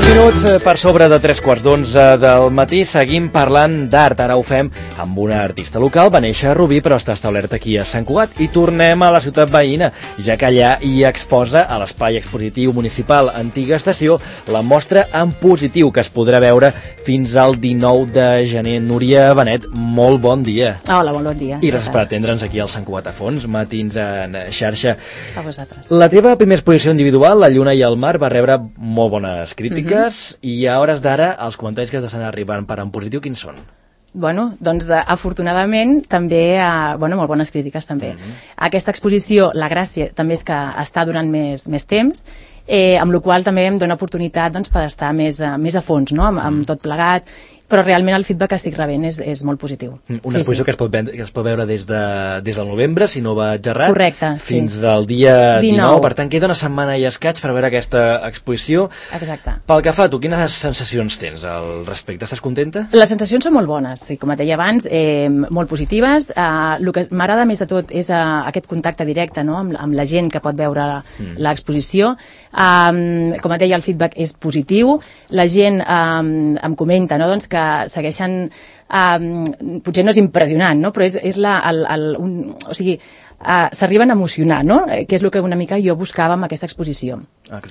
Minuts per sobre de 3:15 del matí, seguim parlant d'art. Ara ho fem amb una artista local, va néixer a Rubí però està establert aquí a Sant Cugat, i tornem a la ciutat veïna, ja que allà hi exposa a l'Espai Expositiu Municipal Antiga Estació la mostra en positiu que es podrà veure fins al 19 de gener. Núria Benet, molt bon dia. Hola, bon dia. I gràcies per atendre'ns aquí al Sant Cugat a fons, Matins en xarxa. A vosaltres. La teva primera exposició individual, La lluna i el mar, va rebre molt bones crítiques, i a hores d'ara els comentaris que t'estan arribant per en positiu, quins són? Bueno, doncs afortunadament també, molt bones crítiques també. Aquesta exposició, la gràcia també és que està durant més temps, amb la qual també em dona oportunitat per estar més a fons, no? Amb tot plegat, però realment el feedback que estic rebent és molt positiu. Una exposició que es pot veure des del novembre, si no vaig errat, correcte, fins al dia 19. Per tant, queda una setmana i escaig per veure aquesta exposició. Exacte. Pel que fa a tu, quines sensacions tens al respecte? Estàs contenta? Les sensacions són molt bones, sí, com et deia abans, molt positives. El que m'agrada més de tot és aquest contacte directe, no?, amb la gent que pot veure l'exposició. Com et deia, el feedback és positiu. La gent em comenta, no?, doncs que segueixen, potser no és impressionant, no?, però o sigui, s'arriben a emocionar, no?, que és el que una mica jo buscava amb aquesta exposició.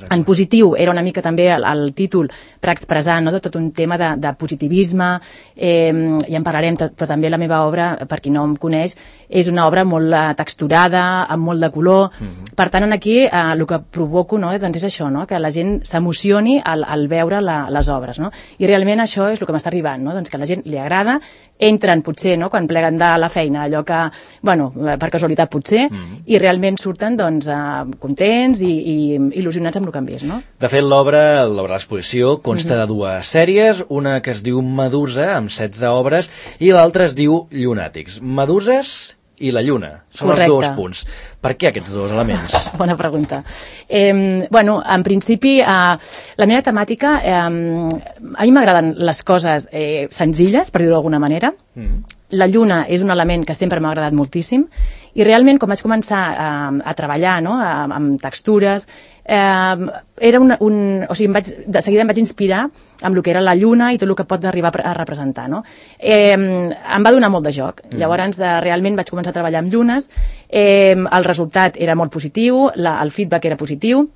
En positiu era una mica també el títol per expressar, no?, de tot un tema de positivisme, i en parlarem, però també la meva obra, per qui no em coneix, és una obra molt texturada, amb molt de color. Per tant, aquí el que provoco, no?, doncs és això, no?, que la gent s'emocioni al veure les obres, no?, i realment això és el que m'està arribant, no?, doncs que a la gent li agrada, entren potser, no?, quan pleguen de la feina, allò que, bueno, per casualitat potser, i realment surten, doncs, contents i il·lusionats amb el que han vist, no? De fet, l'obra de l'exposició consta de dues sèries, una que es diu Medusa, amb 16 obres, i l'altra es diu Llunàtics. Meduses i la lluna, són els dos punts. Per què aquests dos elements? Bona pregunta. Bueno, en principi, la meva temàtica, a mi m'agraden les coses senzilles, per dir-ho d'alguna manera. La lluna és un element que sempre m'ha agradat moltíssim, i realment, quan vaig començar a treballar, no?, amb textures, o sigui, de seguida em vaig inspirar amb el que era la lluna i tot el que pot arribar a representar, no? Em va donar molt de joc. Llavors, realment vaig començar a treballar amb llunes, el resultat era molt positiu, el feedback era positiu,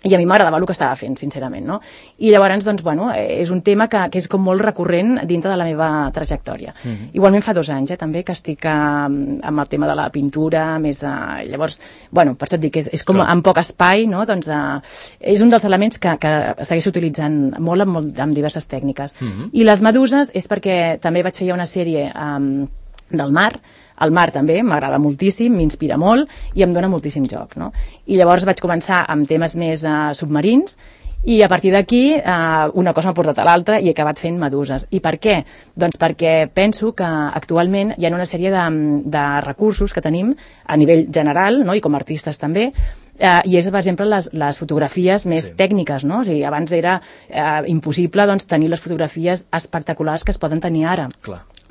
i a mi m'agradava el que estava fent, sincerament, no? I llavors, doncs, bueno, és un tema que és com molt recurrent dintre de la meva trajectòria. Igualment fa 2 anys, també, que estic amb el tema de la pintura, més... Llavors, bueno, per això et dic, és com amb poc espai, no? Doncs és un dels elements que segueixo utilitzant molt amb diverses tècniques. I les meduses és perquè també vaig fer ja una sèrie del mar. El mar també m'agrada moltíssim, m'inspira molt i em dona moltíssim joc, no? I llavors vaig començar amb temes més submarins, i a partir d'aquí una cosa m'ha portat a l'altra i he acabat fent meduses. I per què? Doncs perquè penso que actualment hi ha una sèrie de recursos que tenim a nivell general, no?, i com a artistes també, i és, per exemple, les fotografies més tècniques, no? O sigui, abans era impossible, doncs, tenir les fotografies espectaculars que es poden tenir ara.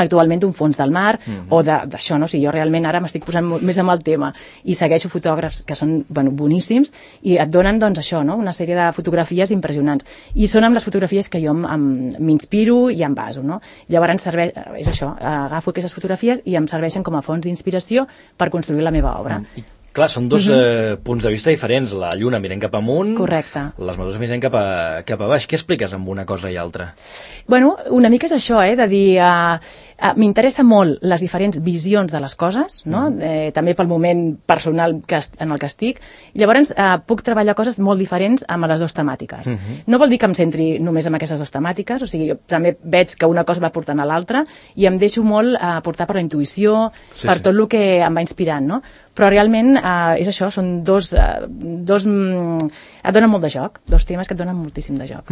Actualment un fons del mar, o d'això, no? O sigui, jo realment ara m'estic posant més amb el tema i segueixo fotògrafs que són, bueno, boníssims, i et donen, doncs, això, no?, una sèrie de fotografies impressionants. I són amb les fotografies que jo m'inspiro i em baso, no? Llavors és això, agafo aquestes fotografies i em serveixen com a fonts d'inspiració per construir la meva obra. Clar, són dos punts de vista diferents. La lluna mirant cap amunt, correcte, les meduses mirant cap a baix. Què expliques amb una cosa i altra? Bueno, una mica és això, de dir... m'interessa molt les diferents visions de les coses, no? També pel moment personal en el que estic. Llavors, puc treballar coses molt diferents amb les dues temàtiques. No vol dir que em centri només en aquestes dues temàtiques, o sigui, jo també veig que una cosa va portant a l'altra i em deixo molt portar per la intuïció, per tot el que em va inspirant, no? Però realment és això, són dos... et donen molt de joc, dos temes que et donen moltíssim de joc.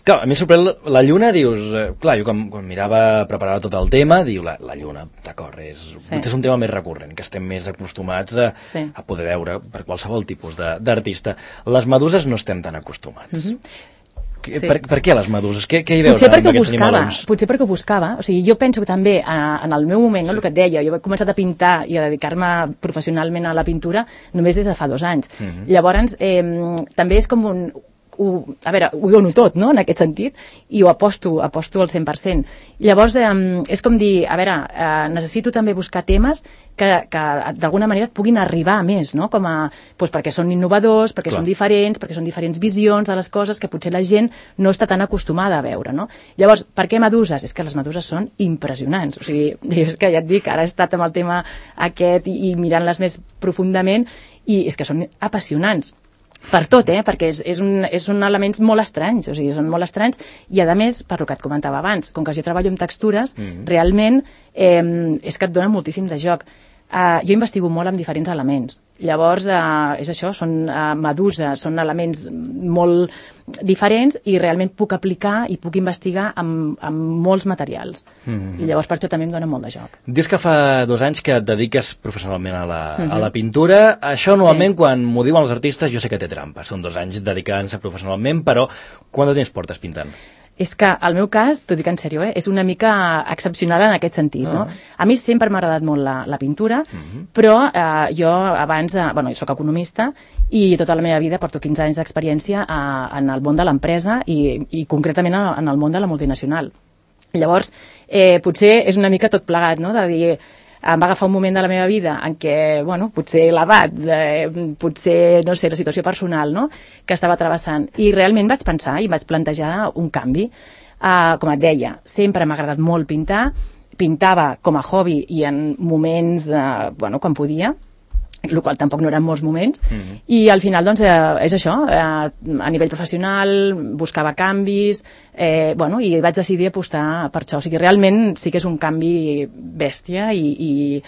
Clar, a mi sorprèn la lluna, dius... Clar, jo quan mirava, preparava tot el tema, diu la lluna, d'acord, és un tema més recurrent, que estem més acostumats a poder veure per qualsevol tipus d'artista. Les meduses no estem tan acostumats. Per què les meduses? Què hi veus amb aquests animalons? Potser perquè ho buscava. O sigui, jo penso que també en el meu moment, el que et deia, jo he començat a pintar i a dedicar-me professionalment a la pintura només des de fa 2 anys. Llavors, també és com ho dono tot, no?, en aquest sentit, i ho aposto al 100%. Llavors, és com dir, a veure, necessito també buscar temes que d'alguna manera et puguin arribar a més, no?, com doncs perquè són innovadors, perquè són diferents, perquè són diferents visions de les coses que potser la gent no està tan acostumada a veure, no? Llavors, per què meduses? És que les meduses són impressionants. O sigui, és que ja et dic, ara he estat amb el tema aquest i mirant-les més profundament, i és que són apassionants. Per tot, perquè són elements molt estranys, o sigui, són molt estranys, i a més, per el que et comentava abans, com que jo treballo amb textures, realment és que et dona moltíssim de joc. Jo investigo molt amb diferents elements. Llavors, és això, són meduses, són elements molt diferents i realment puc aplicar i puc investigar amb molts materials. I llavors per això també em dona molt de joc. Dius que fa 2 anys que et dediques professionalment a la pintura. Això normalment, quan m'ho diuen els artistes, jo sé que té trampa. Són 2 anys dedicant-se professionalment, però quant de temps portes pintant? És que el meu cas, t'ho dic en sèrio, és una mica excepcional en aquest sentit, no? A mi sempre m'ha agradat molt la pintura, però jo abans, jo soc economista i tota la meva vida porto 15 anys d'experiència en el món de l'empresa i concretament en el món de la multinacional. Llavors, potser és una mica tot plegat, no?, de dir, em va agafar un moment de la meva vida en què, potser l'edat, potser, no sé, la situació personal, no?, que estava travessant. I realment vaig pensar i vaig plantejar un canvi. Com et deia, sempre m'ha agradat molt pintar, pintava com a hobby i en moments, quan podia, el qual tampoc no eren molts moments, i al final, doncs, és això, a nivell professional, buscava canvis, i vaig decidir apostar per això. O sigui, realment sí que és un canvi bèstia i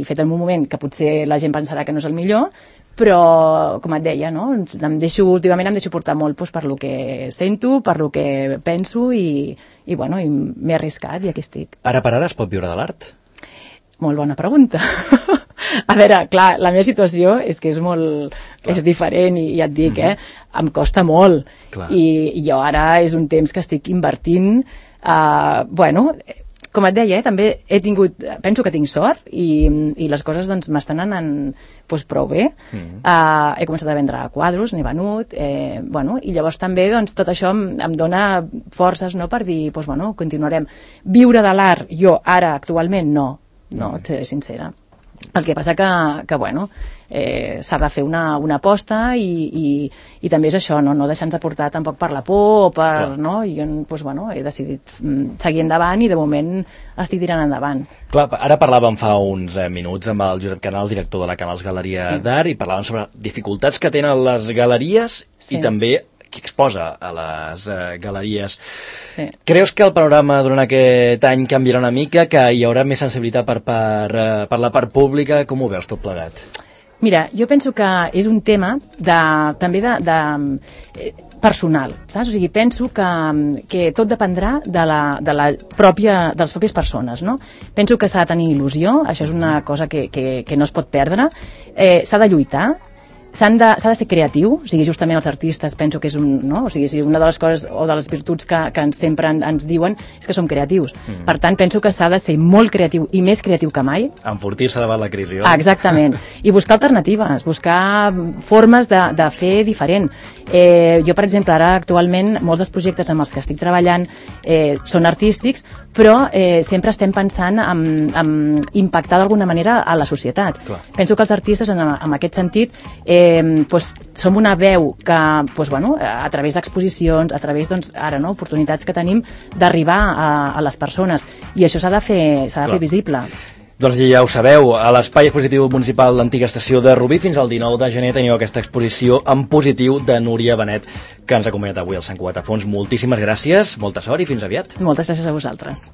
fet en un moment que potser la gent pensarà que no és el millor, però, com et deia, no?, últimament em deixo portar molt per lo que sento, per lo que penso i m'he arriscat i aquí estic. Ara per ara es pot viure de l'art? Molt bona pregunta. A veure, clar, la meva situació és que és diferent i ja et dic, em costa molt. I jo ara és un temps que estic invertint. Com et deia, també penso que tinc sort i les coses doncs m'estan anant prou bé. He començat a vendre quadros, n'he venut, i llavors també doncs, tot això em dona forces, no?, per dir, continuarem. Viure de l'art, jo ara actualment no, et seré sincera. El que passa que s'ha de fer una aposta i també és això, no deixar-nos portar tampoc per la por o per, no? I jo he decidit seguir endavant i de moment estic tirant endavant. Clar, ara parlàvem fa uns minuts amb el Josep Canal, director de la Canals Galeria d'Art, i parlàvem sobre dificultats que tenen les galeries i també qui exposa a les galeries. Creus que el panorama durant aquest any canviarà una mica, que hi haurà més sensibilitat per la part pública? Com ho veus tot plegat? Mira, jo penso que és un tema també personal, saps? O sigui, penso que tot dependrà de les pròpies persones, no? Penso que s'ha de tenir il·lusió, això és una cosa que no es pot perdre, s'ha de lluitar, s'ha de ser creatiu, o sigui, justament els artistes penso que és una de les coses o de les virtuts que sempre ens diuen és que som creatius. Per tant, penso que s'ha de ser molt creatiu i més creatiu que mai. Enfortir-se davant la crisi. Exactament. I buscar alternatives, buscar formes de fer diferent. Jo, per exemple, ara actualment molts dels projectes amb els que estic treballant són artístics, però sempre estem pensant en impactar d'alguna manera a la societat. Penso que els artistes, en aquest sentit, som una veu que, a través d'exposicions, a través, ara, oportunitats que tenim d'arribar a les persones, i això s'ha de fer visible. Doncs ja ho sabeu, a l'Espai Expositiu Municipal d'Antiga Estació de Rubí fins al 19 de gener teniu aquesta exposició en positiu de Núria Benet, que ens ha acompanyat avui al Sant Cugat a Fons. Moltíssimes gràcies, molta sort i fins aviat. Moltes gràcies a vosaltres.